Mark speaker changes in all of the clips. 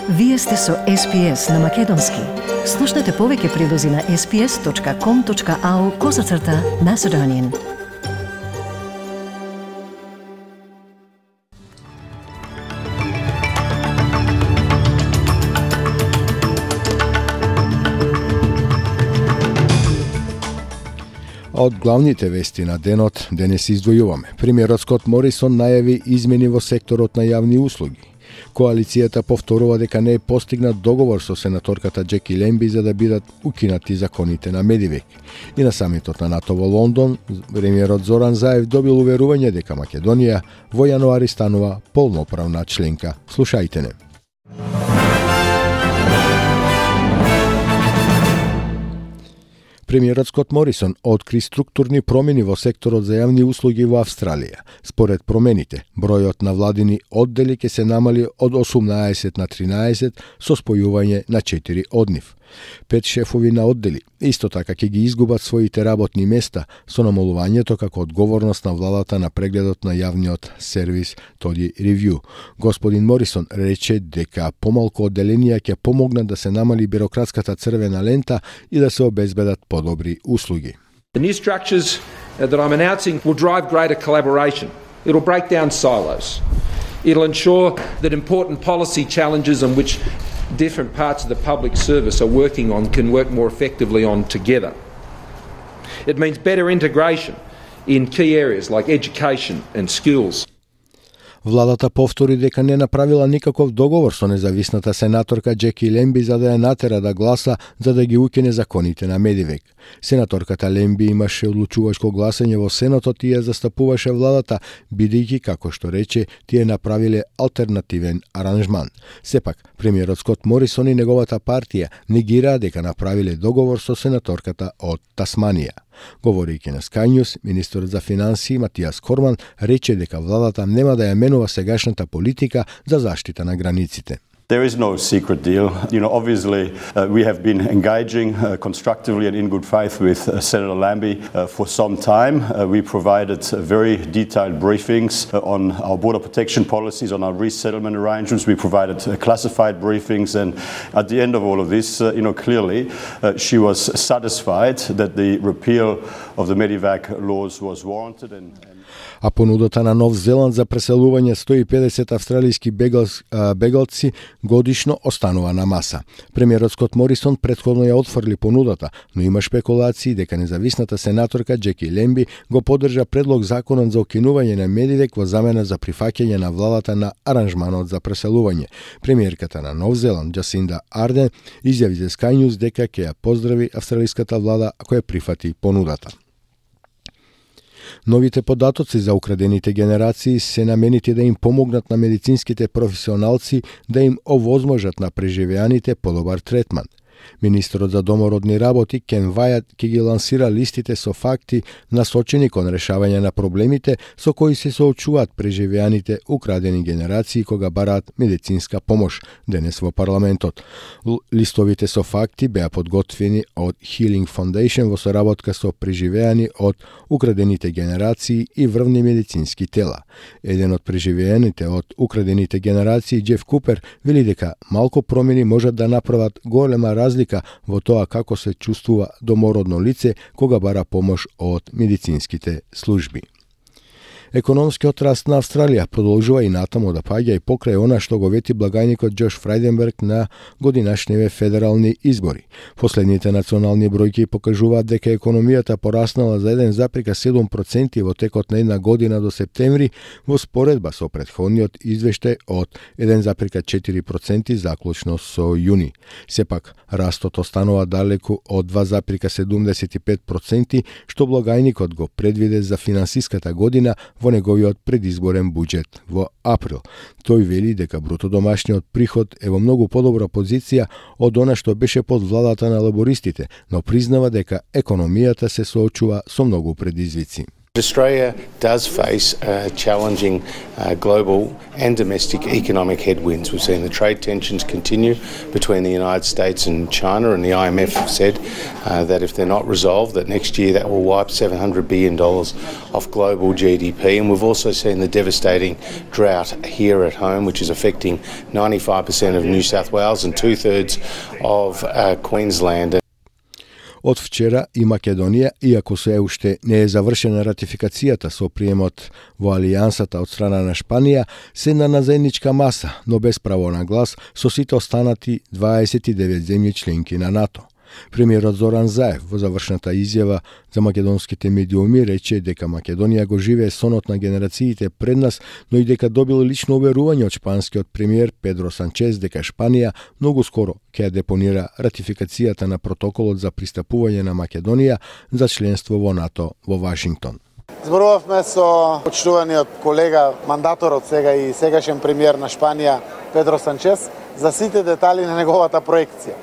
Speaker 1: Вие сте со SPS на Македонски. Слушнете повеќе прилози на sps.com.au/Macedonian.
Speaker 2: Од главните вести на денот денес издвојуваме. Премиерот Скот Морисон најави измени во секторот на јавни услуги. Коалицијата повторува дека не е постигнат договор со сенаторката Джеки Лемби за да бидат укинати законите на Медивек. И на самитот на НАТО во Лондон, премиерот Зоран Заев добил уверување дека Македонија во јануари станува полноправна членка. Слушајте не. Премиерот Скот Морисон откри структурни промени во секторот за јавни услуги во Австралија. Според промените, бројот на владини оддели ќе се намали од 18 на 13 со спојување на 4 од нив. 5 шефови на оддели исто така ќе ги изгубат своите работни места со намалувањето како одговорност на владата на прегледот на јавниот сервис Тоди Ревју. Господин Морисон рече дека помалку одделенија ќе помогнат да се намали бирократската црвена лента и да се обезбедат подобри услуги.
Speaker 3: The new structures that I'm announcing will drive greater collaboration. It'll break down silos. It'll ensure that important policy challenges on which different parts of the public service are working on can work more effectively on together. It means better integration in key areas like education and schools.
Speaker 2: Владата повтори дека не направила никаков договор со независната сенаторка Джеки Лемби за да ја натера да гласа за да ги укине законите на Медивек. Сенаторката Лемби имаше одлучувачко гласање во Сенатот и ја застапуваше владата, бидејќи, како што рече, тие направиле алтернативен аранжман. Сепак, премиерот Скот Морисон и неговата партија негираа дека направиле договор со сенаторката од Тасманија. Говорејќи на Sky News, министерот за финансии Матијас Корман рече дека владата нема да ја менува сегашната политика за заштита на границите.
Speaker 4: There is no secret deal. Obviously, we have been engaging constructively and in good faith with Senator Lambie for some time. We provided very detailed briefings on our border protection policies, on our resettlement arrangements. We provided classified briefings, and at the end of all of this, clearly, she was satisfied that the repeal of the Medivac laws was warranted.
Speaker 2: А понудата на Нов Зеланд за преселување 150 австралиски бегалци годишно останува на маса. Премиерот Скот Морисон претходно ја отфрли понудата, но има шпекулации дека независната сенаторка Джеки Лемби го поддржа предлог законот за укинување на Медивек во замена за прифаќање на владата на аранжманот за преселување. Премиерката на Нов Зеланд Джасинда Арден изјави за Sky News дека ќе ја поздрави австралиската влада ако ја прифати понудата. Новите податоци за украдените генерации се наменети да им помогнат на медицинските професионалци да им овозможат на преживеаните подобар третман. Министерот за домородни работи Кен Вајат ќе ги лансира листите со факти насочени кон решавање на проблемите со кои се соочуваат преживеаните украдени генерации кога бараат медицинска помош денес во парламентот. Листовите со факти беа подготвени од Healing Foundation во соработка со преживеани од украдените генерации и врвни медицински тела. Еден од преживеаните од украдените генерации, Джеф Купер, вели дека малку промени можат да направат голема разлика во тоа како се чувствува домородно лице кога бара помош од медицинските служби. Економскиот раст на Австралија продолжува и натаму да паѓа и покрај она што го вети благајникот Џош Фрајденберг на годинашниве федерални избори. Последните национални бројки покажуваат дека економијата пораснала за 1,7% во текот на една година до септември во споредба со претходниот извештај од 1,4% заклучно со јуни. Сепак, растот останува далеку од 2,75% што благајникот го предвиде за финансиската година во неговиот предизборен буџет во април. Тој вели дека бруто домашниот приход е во многу подобра позиција од она што беше под владата на лабористите, но признава дека економијата се соочува со многу предизвици.
Speaker 5: Australia does face challenging global and domestic economic headwinds. We've seen the trade tensions continue between the United States and China, and the IMF have said that if they're not resolved, that next year that will wipe $700 billion off global GDP. And we've also seen the devastating drought here at home, which is affecting 95% of New South Wales and 2/3 of Queensland.
Speaker 2: Од вчера и Македонија, иако се уште не е завршена ратификацијата со приемот во алијансата од страна на Шпанија, седна на заедничка маса, но без право на глас, со сите останати 29 земји членки на НАТО. Премиерот Зоран Заев во завршната изјава за македонските медиуми рече дека Македонија го живее сонот на генерациите пред нас, но и дека добил лично уверување од шпанскиот премиер Педро Санчез дека Шпанија многу скоро ќе ја депонира ратификацијата на протоколот за пристапување на Македонија за членство во НАТО во Вашингтон.
Speaker 6: Зборувавме со почитуваниот колега, мандаторот сега и сегашен премиер на Шпанија Педро Санчез за сите детали на неговата проекција.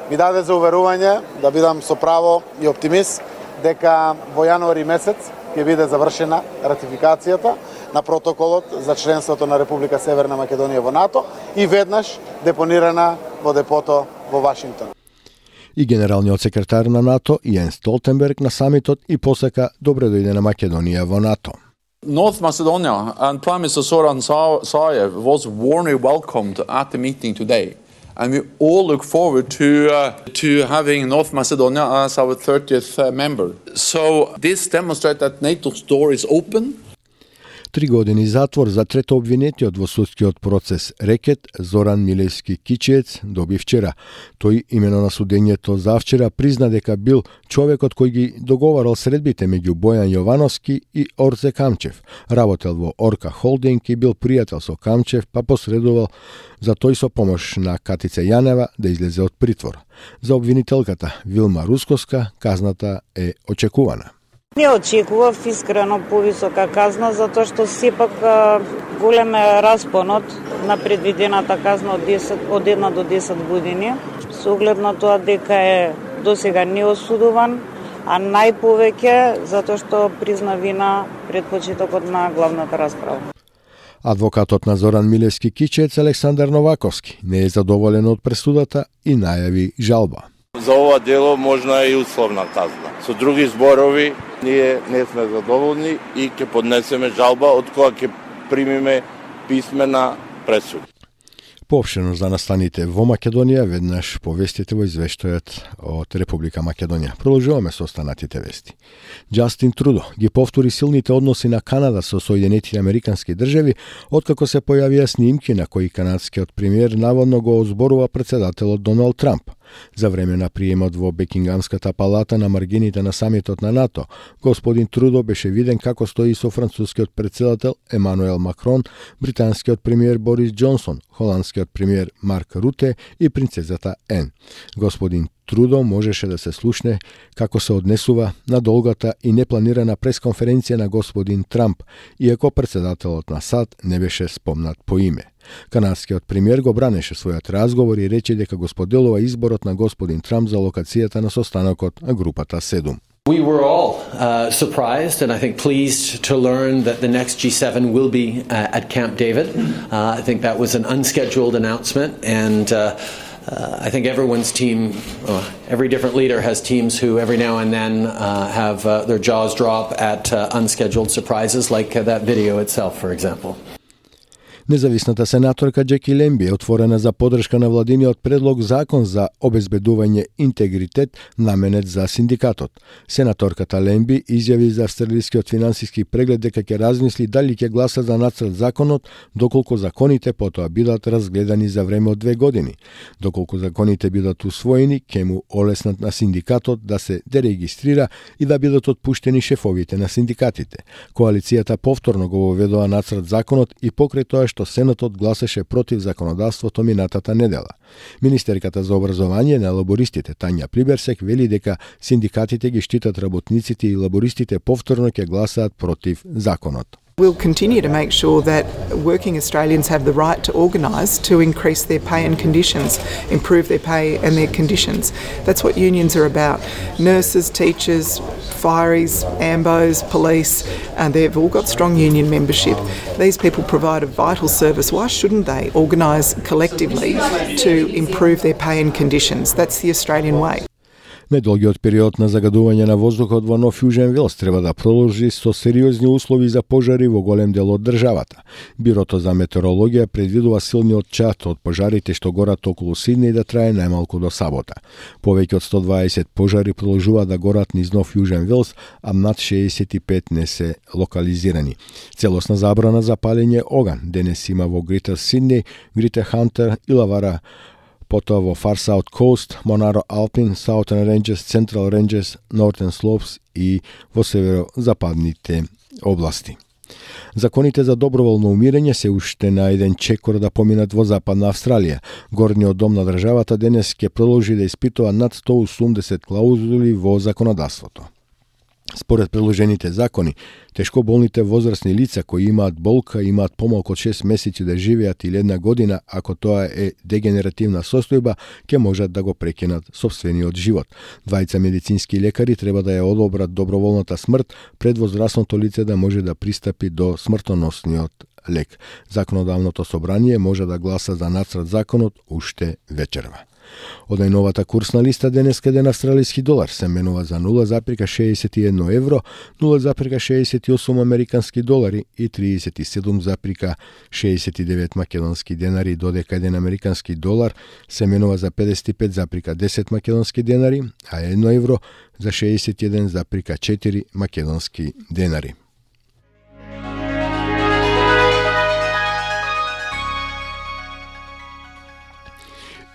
Speaker 6: Ми даде за уверување да бидам со право и оптимист дека во јануари месец ќе биде завршена ратификацијата на протоколот за членството на Република Северна Македонија во НАТО и веднаш депонирана во депото во Вашингтон.
Speaker 2: И генералниот секретар на НАТО Јенс Столтенберг на самитот и посака добре дојде на Македонија во НАТО.
Speaker 7: North Macedonia and Prime Minister Zoran Zaev was warmly welcomed at the meeting today. And we all look forward to having North Macedonia as our 30th member. So this demonstrates that NATO's door is open.
Speaker 2: 3 години затвор за трето обвинетиот во судскиот процес рекет Зоран Милевски Кичиец доби вчера. Тој имено на судењето за вчера призна дека бил човекот кој ги договарал средбите меѓу Бојан Јовановски и Орце Камчев. Работел во Орка Холдинг и бил пријател со Камчев, па посредувал за тој со помош на Катица Јанева да излезе од притвор. За обвинителката Вилма Рускоска казната е очекувана.
Speaker 8: Не очекував искрено повисока казна, затоа што сепак голем е распонот на предвидената казна од 1 до 10 години, со оглед на тоа дека е досега неосудуван, а најповеќе затоа што призна вина пред почетокот на главната расправа.
Speaker 2: Адвокатот на Зоран Милевски Кичец Александар Новаковски не е задоволен од пресудата и најави жалба.
Speaker 9: За ова дело можна е и условна казна. Со други зборови, ние не сме задоволни и ќе поднесеме жалба од која ќе примиме писмена пресуда.
Speaker 2: Поопштено за настаните во Македонија, веднаш повестите во извештајот од Република Македонија. Продолжуваме со останатите вести. Џастин Трудо ги повтори силните односи на Канада со Соединетите Американски држави, откако се појавија снимки на кои канадскиот премиер наводно го озборува председателот Доналд Трамп. За време на приемот во Бекингамската палата на маргините на самитот на НАТО, господин Трудо беше виден како стои со францускиот председател Емануел Макрон, британскиот премиер Борис Џонсон, холандскиот премиер Марк Руте и принцезата Ен. Господин Трудо можеше да се слушне како се однесува на долгата и непланирана пресконференција на господин Трамп, иако председателот на САД не беше спомнат по име. Канадскиот премиер го бранеше својот разговор и рече дека го споделува изборот на господин Трамп за локацијата на состанокот на групата 7.
Speaker 10: We were all surprised and I think pleased to learn that the next G7 will be at Camp David. I think that was an unscheduled announcement and I think everyone's team, every different leader has teams who every now and then have their jaws drop at unscheduled surprises like that video itself, for example.
Speaker 2: Независната сенаторка Џеки Лемби е отворена за поддршка на владиниот предлог закон за обезбедување интегритет наменет за синдикатот. Сенаторката Лемби изјави за австралискиот финансиски преглед дека ќе размисли дали ќе гласа за нацрт законот доколку законите потоа бидат разгледани за време од 2 години. Доколку законите бидат усвоени, ќе му олеснат на синдикатот да се дерегистрира и да бидат отпуштени шефовите на синдикатите. Коалицијата повторно го воведува нацрт законот и покрај тоа што Сенатот гласеше против законодавството минатата недела. Министерката за образование на лабористите Тања Плиберсек вели дека синдикатите ги штитат работниците и лабористите повторно ќе гласаат против законот.
Speaker 11: We'll continue to make sure that working Australians have the right to organise to increase their pay and conditions, improve their pay and their conditions. That's what unions are about. Nurses, teachers, fireys, AMBOs, police, and they've all got strong union membership. These people provide a vital service. Why shouldn't they organise collectively to improve their pay and conditions? That's the Australian way.
Speaker 2: Недолгиот период на загадување на воздухот во Нов Јужен Велс треба да продолжи со сериозни услови за пожари во голем дел од државата. Бирото за метеорологија предвидува силниот чат од пожарите што горат околу Сиднеј да трае најмалку до сабота. Повеќе од 120 пожари продолжуваат да горат низ Нов Јужен Велс, а над 65 не се локализирани. Целосна забрана за палење оган денес има во Грејтер Сиднеј, Грејтер Хантер и Лавара, потоа во Far South Coast, Monaro Alpine, Southern Ranges, Central Ranges, Northern Slopes и во северо-западните области. Законите за доброволно умирање се уште на еден чекор да поминат во Западна Австралија. Горниот дом на државата денес ќе продолжи да испитува над 180 клаузули во законодавството. Според предложените закони, тешко болните возрастни лица кои имаат болка, имаат помалку од 6 месеци да живеат или 1 година, ако тоа е дегенеративна состојба, ќе можат да го прекинат сопствениот живот. Двајца медицински лекари треба да ја одобрат доброволната смрт пред возрастното лице да може да пристапи до смртоносниот лек. Законодавното собрание може да гласа за нацрт законот уште вечерва. Од најновата курсна листа денес каде на австралиски долар се менува за 0,61 евро, 0,68 американски долари и 37,69 македонски денари, додека еден американски долар се менува за 55,10 македонски денари, а 1 евро за 61,4 македонски денари.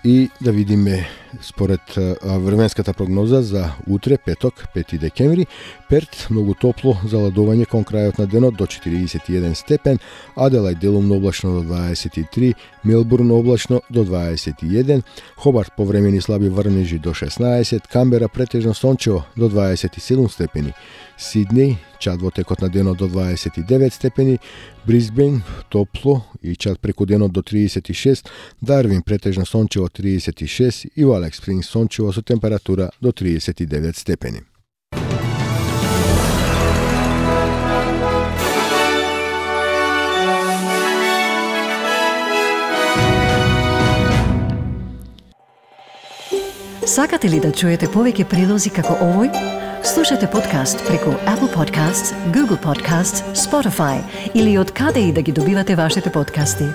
Speaker 2: И да видиме според временската прогноза за утре, петок, 5 декември, Перт многу топло, заладување кон крајот на денот до 41 степен, Аделајд делумно облачно до 23, Мелбурн облачно до 21, Хобарт повремени слаби врнежи до 16, Камбера претежно сончево до 27 степени, Сиднеј чад во текот на денот до 29 степени, Брисбен топло и чад преку денот до 36, Дарвин претежно сончево 36 и во Алекс Спрингс сончево со температура до 39 степени.
Speaker 1: Сакате ли да чуете повеќе прилози како овој? Слушате подкаст преку Apple Podcasts, Google Podcasts, Spotify или од каде и да ги добивате вашите подкасти.